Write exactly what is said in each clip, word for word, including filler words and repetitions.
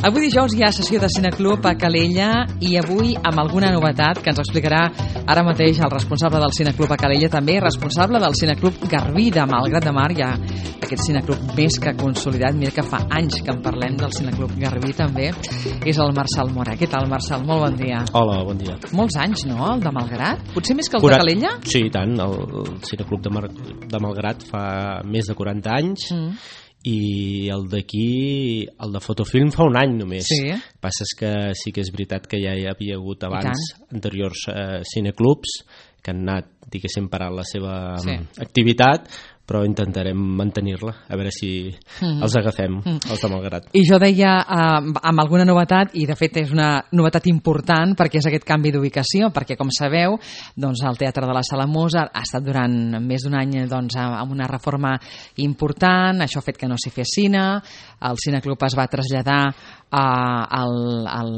Avui dijous hi ha sessió de Cineclub a Calella i avui amb alguna novetat que ens explicarà ara mateix el responsable del Cineclub a Calella, també responsable del Cineclub Garbí de Malgrat de Mar. Hi ha aquest Cineclub més que consolidat, mira que fa anys que en parlem del Cineclub Garbí també, és el Marçal Mora. Què tal, Marçal? Molt bon dia. Hola, bon dia. Molts anys, no?, el de Malgrat? Potser més que el Curat... de Calella? Sí, i tant. El, el Cineclub de, Mar... de Malgrat fa més de quaranta anys. Mm. I el d'aquí, el de Fotofilm, fa un any només. Sí. El que passa és que sí que és veritat que ja hi havia hagut abans anteriors eh, cineclubs que han anat, diguéssim, parant la seva sí. activitat, però intentarem mantenir-la, a veure si mm. els agafem, mm. els de Malgrat. I jo deia eh, amb alguna novetat, i de fet és una novetat important perquè és aquest canvi d'ubicació, perquè com sabeu, doncs, el Teatre de la Sala Mozart ha estat durant més d'un any doncs, amb una reforma important, això ha fet que no s'hi fes cine, el Cineclub es va traslladar a, al, al,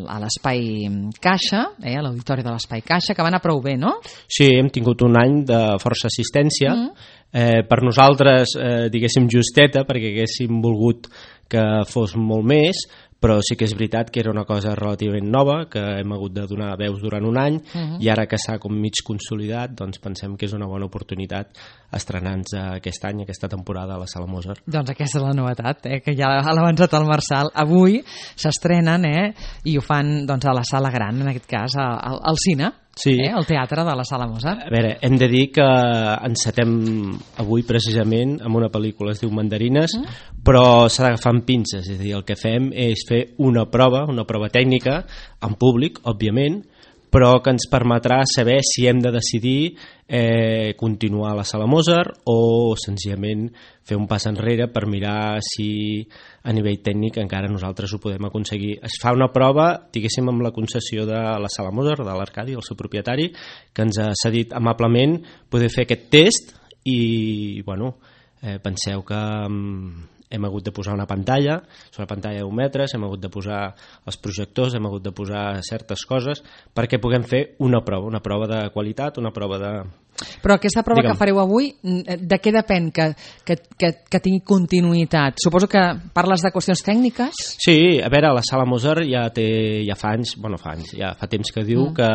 a l'espai Caixa, eh, a l'auditori de l'espai Caixa, que va anar prou bé, no? Sí, hem tingut un any de força assistència, mm. Eh, per nosaltres, eh, diguéssim, justeta, perquè haguéssim volgut que fos molt més, però sí que és veritat que era una cosa relativament nova, que hem hagut de donar veus durant un any, uh-huh. i ara que s'ha com mig consolidat, doncs pensem que és una bona oportunitat estrenar-nos aquest any, aquesta temporada a la Sala Mozart. Doncs aquesta és la novetat, eh, que ja l'ha avançat el Marçal. Avui s'estrenen, eh, i ho fan doncs, a la Sala Gran, en aquest cas, al, al cine. Sí. Eh, el teatre de la Sala Mozart. A veure, hem de dir que encetem avui precisament amb una pel·lícula, es diu Mandarines, mm. però s'ha d'agafar amb pinces, és a dir, el que fem és fer una prova, una prova tècnica, en públic, òbviament, però que ens permetrà saber si hem de decidir eh, continuar a la Sala Mozart o senzillament fer un pas enrere per mirar si a nivell tècnic encara nosaltres ho podem aconseguir. Es fa una prova, diguéssim, amb la concessió de la Sala Mozart, de l'Arcadi, el seu propietari, que ens ha cedit amablement poder fer aquest test i, bueno, eh, penseu que mm, hem hagut de posar una pantalla, és una pantalla de deu metres, hem hagut de posar els projectors, hem hagut de posar certes coses perquè puguem fer una prova, una prova de qualitat, una prova de... Però aquesta prova Digue'm. que fareu avui, de què depèn que, que, que, que tingui continuïtat? Suposo que parles de qüestions tècniques? Sí, a veure, la Sala Mozart ja té, ja fa anys, bueno, fa anys, ja fa temps que diu mm. que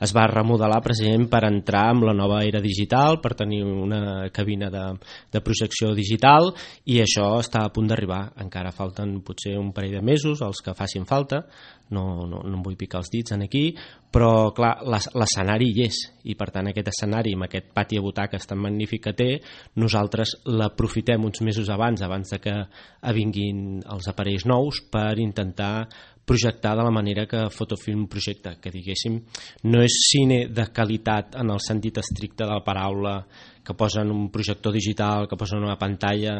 es va remodelar precisament per entrar amb la nova era digital, per tenir una cabina de, de projecció digital, i això està a punt d'arribar. Encara falten potser un parell de mesos, els que facin falta, no, no, no em vull picar els dits en aquí, però clar, l'escenari hi és, i per tant aquest escenari amb aquest pati a butaques tan magnífic que té, nosaltres l'aprofitem uns mesos abans, abans de que vinguin els aparells nous, per intentar projectar de la manera que Fotofilm projecta, que diguéssim no és cine de qualitat en el sentit estricte de la paraula, que posen un projector digital, que posen una pantalla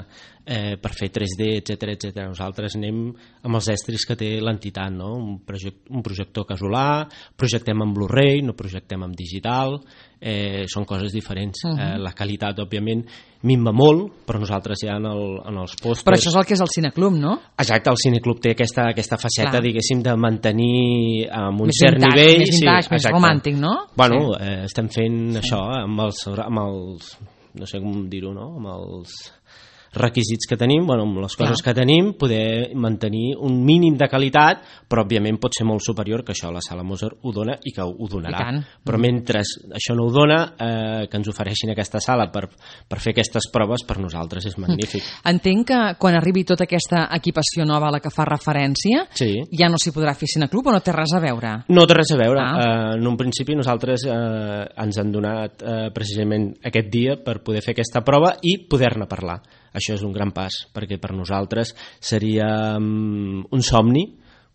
eh, per fer tres D, etcètera, etcètera. Nosaltres anem amb els estris que té l'entitat, no? Un, project, un projector casolà, projectem en Blu-ray, no projectem en digital, eh, són coses diferents. Uh-huh. eh, la qualitat, òbviament, minva molt, però nosaltres ja en, el, en els pòsters... Però això és el que és el Cineclub, no? Exacte, el Cineclub té aquesta, aquesta faceta, clar, diguéssim, de mantenir amb un més cert vintage, nivell... Més vintage, sí, més exacte. romàntic, no? Bueno, sí. eh, estem fent sí. això amb els, amb els... no sé com dir-ho, no? Amb els requisits que tenim, bueno, amb les coses Clar. que tenim, poder mantenir un mínim de qualitat, però òbviament pot ser molt superior, que això la Sala Mozart ho dona i que ho donarà. Però mentre això no ho dona, eh, que ens ofereixin aquesta sala per, per fer aquestes proves, per nosaltres és magnífic. Entenc que quan arribi tota aquesta equipació nova a la que fa referència, sí. ja no s'hi podrà fer Cineclub o no té res a veure? No té res a veure. Ah. Eh, en un principi nosaltres eh, ens han donat eh, precisament aquest dia per poder fer aquesta prova i poder-ne parlar. Això és un gran pas, perquè per nosaltres seria um, un somni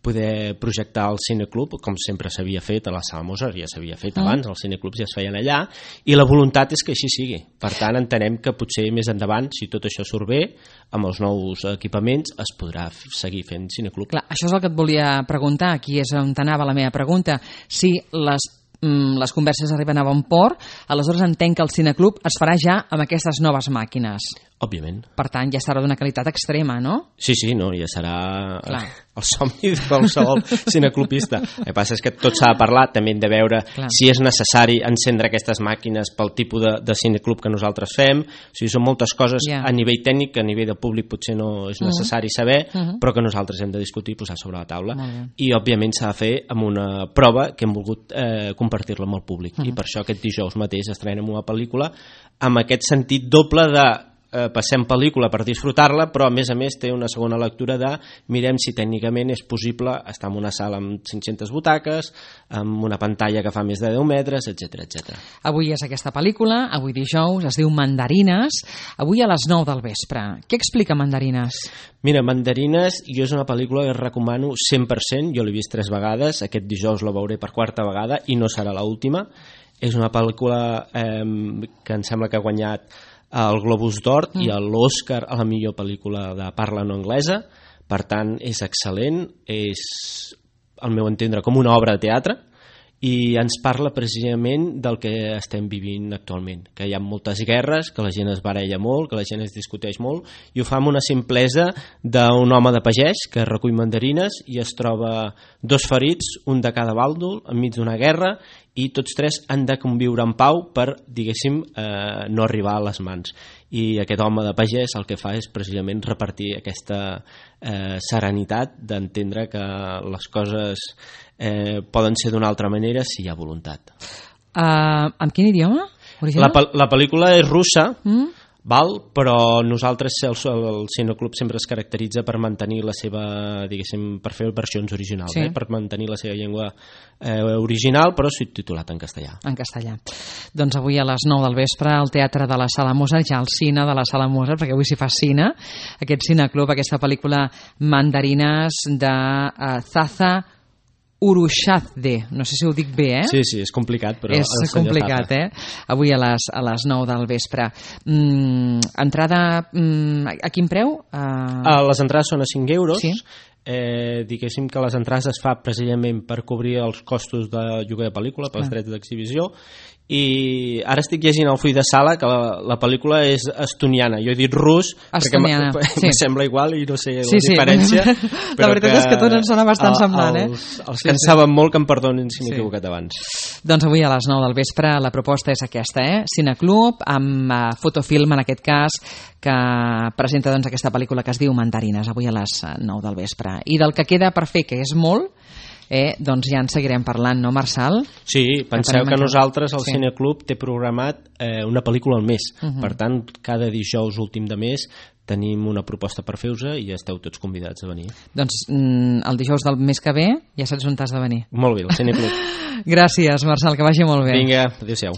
poder projectar el Cineclub, com sempre s'havia fet a la Sala Mozart, ja s'havia fet mm. abans, els cineclubs ja es feien allà, i la voluntat és que així sigui. Per tant, entenem que potser més endavant, si tot això surt bé, amb els nous equipaments es podrà seguir fent Cineclub. Clar, això és el que et volia preguntar, aquí és on anava la meva pregunta. Si les les converses arriben a bon port, aleshores entenc que el Cineclub es farà ja amb aquestes noves màquines. Òbviament. Per tant, ja serà d'una qualitat extrema, no? Sí, sí, no, ja serà... Clar. el somni de qualsevol cineclubista. El que passa és que tot s'ha de parlar, també hem de veure Clar. si és necessari encendre aquestes màquines pel tipus de, de cineclub que nosaltres fem. O sigui, són moltes coses yeah. a nivell tècnic, a nivell de públic potser no és necessari uh -huh. saber, uh -huh. però que nosaltres hem de discutir i posar sobre la taula. I òbviament s'ha de fer amb una prova que hem volgut eh, compartir-la amb el públic. Uh -huh. I per això aquest dijous mateix estrenem una pel·lícula amb aquest sentit doble de Eh, passem pel·lícula per disfrutar-la, però a més a més té una segona lectura de mirem si tècnicament és possible estar en una sala amb cinc-centes butaques, amb una pantalla que fa més de deu metres, etcètera, etcètera. Avui és aquesta pel·lícula, avui dijous, es diu Mandarines, avui a les nou del vespre. Què explica Mandarines? Mira, Mandarines jo és una pel·lícula que recomano cent per cent, jo l'he vist tres vegades, aquest dijous la veuré per quarta vegada i no serà l'última. És una pel·lícula eh, que em sembla que ha guanyat el Globus d'Or mm. i l'Oscar a la millor pel·lícula de parla no anglesa, per tant és excel·lent, és al meu entendre com una obra de teatre i ens parla precisament del que estem vivint actualment, que hi ha moltes guerres, que la gent es baralla molt, que la gent es discuteix molt, i ho fa amb una simplesa d'un home de pagès que recull mandarines i es troba dos ferits, un de cada bàndol, enmig d'una guerra, i tots tres han de conviure en pau per, diguéssim, eh, no arribar a les mans. I aquest home de pagès el que fa és precisament repartir aquesta eh, serenitat d'entendre que les coses eh, poden ser d'una altra manera si hi ha voluntat. Uh, amb quin idioma? La, la pel·lícula és russa, mm? val? Però nosaltres, el, el Cineclub sempre es caracteritza per mantenir la seva, diguéssim, per fer versions originals, sí. eh? per mantenir la seva llengua eh, original, però subtitulat en castellà. En castellà. Doncs avui a les nou del vespre al Teatre de la Sala Mozart, ja al cine de la Sala Mozart, perquè avui s'hi fa cine, aquest Cineclub, aquesta pel·lícula Mandarines de uh, Zaza Urushadze, no sé si ho dic bé, eh? Sí, sí, és complicat, però... És complicat, Zaza. eh? Avui a les, a les nou del vespre. Mm, entrada, mm, a quin preu? Uh... Uh, les entrades són a cinc euros. Sí. Eh, diguéssim que les entrades es fa precisament per cobrir els costos de lloguer de pel·lícula, pels ah. drets d'exhibició, i ara estic llegint el full de sala que la, la pel·lícula és estoniana, jo he dit rus estoniana, perquè sí. em sembla igual i no sé sí, la diferència sí. la veritat que, és que tot ens sona bastant semblant eh? els, els sí, que en sí. saben molt que em perdonin si m'he sí. equivocat abans. Doncs avui a les nou del vespre la proposta és aquesta, eh? Cineclub amb uh, fotofilm en aquest cas que presenta doncs, aquesta pel·lícula que es diu Mandarines, avui a les nou del vespre, i del que queda per fer, que és molt, eh, doncs ja en seguirem parlant, no, Marçal? Sí, penseu que, que nosaltres, el sí. Cineclub, té programat eh, una pel·lícula al mes. Uh -huh. Per tant, cada dijous últim de mes tenim una proposta per fer-vos i esteu tots convidats a venir. Doncs mm, el dijous del mes que ve ja saps on t'has de venir. Molt bé, el Cineclub. Gràcies, Marçal, que vagi molt bé. Vinga, adéu-siau.